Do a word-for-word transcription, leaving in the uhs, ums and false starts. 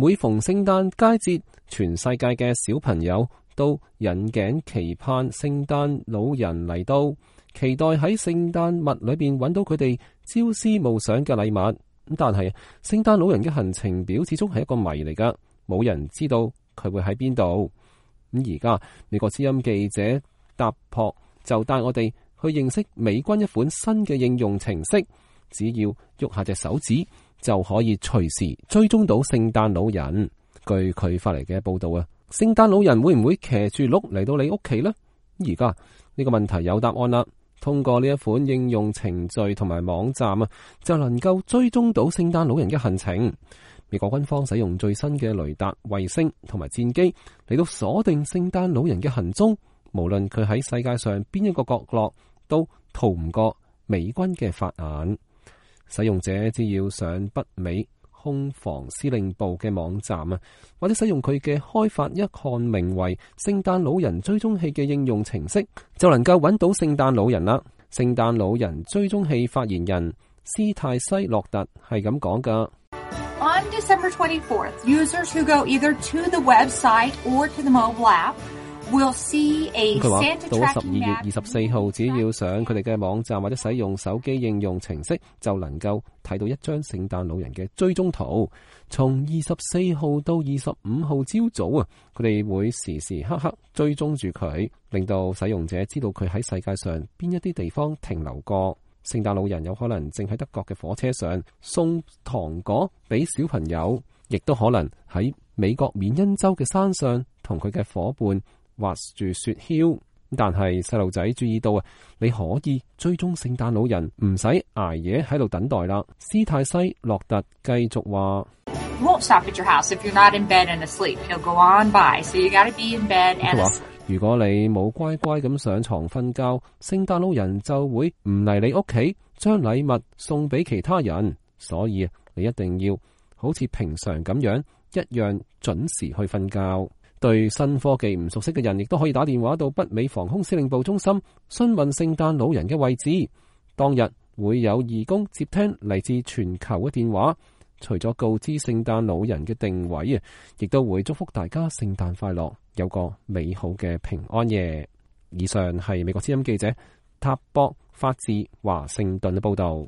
每逢聖誕佳節，全世界嘅小朋友都引頸期盼聖誕老人嚟到，期待喺聖誕物裏邊揾到佢哋朝思暮想嘅禮物。咁但係聖誕老人嘅行程表始終係一個謎嚟噶，冇人知道佢會喺邊度。咁而家美國之音記者達博就帶我哋去認識美軍一款新嘅應用程式，只要喐下隻手指就可以隨時追蹤到聖誕老人。據佢發嚟嘅報道啊，聖誕老人會唔會騎住鹿嚟到你屋企呢？而家呢個問題有答案啦。通過呢一款應用程序同埋網站啊，就能夠追蹤到聖誕老人嘅行程。美國軍方使用最新嘅雷達、衛星同埋戰機嚟到鎖定聖誕老人嘅行蹤，無論佢喺世界上邊一個角落，都逃唔過美軍嘅法眼。使用者只要上北美空防司令部嘅網站啊，或者使用佢嘅開發一項名為聖誕老人追蹤器嘅應用程式，就能夠揾到聖誕老人啦。聖誕老人追蹤器發言人斯泰西洛特係咁講噶。On December twenty-fourth, users who go either to the website or to the mobile app will see a Santa tracking map。佢話到咗十二月二十四號，只要上佢哋嘅網站或者使用手機應用程式，就能夠睇到一張聖誕老人嘅追蹤圖。從二十四號到二十五號朝早啊，佢哋會時時刻刻追蹤住佢，令到使用者知道佢喺世界上邊一啲地方停留過。聖誕老人有可能正喺德國嘅火車上送糖果俾小朋友，亦都可能喺美國緬因州嘅山上同佢嘅伙伴滑住雪橇。但係細路仔注意到啊，你可以追蹤聖誕老人，唔使捱夜喺度等待啦。斯泰西洛特繼續話：Won't stop at your house if you're not in bed and asleep. He'll go on by, so you gotta be in bed and asleep. 如果你冇乖乖咁上床瞓覺，聖誕老人就會唔嚟你屋企，將禮物送俾其他人。所以你一定要好似平常咁樣，一樣準時去瞓覺。對新科技唔熟悉嘅人，亦都可以打電話到北美防空司令部中心，詢問聖誕老人嘅位置。當日會有義工接聽嚟自全球嘅電話，除咗告知聖誕老人嘅定位啊，亦都會祝福大家聖誕快樂，有個美好嘅平安夜。以上係美國之音記者塔博發自華盛頓嘅報道。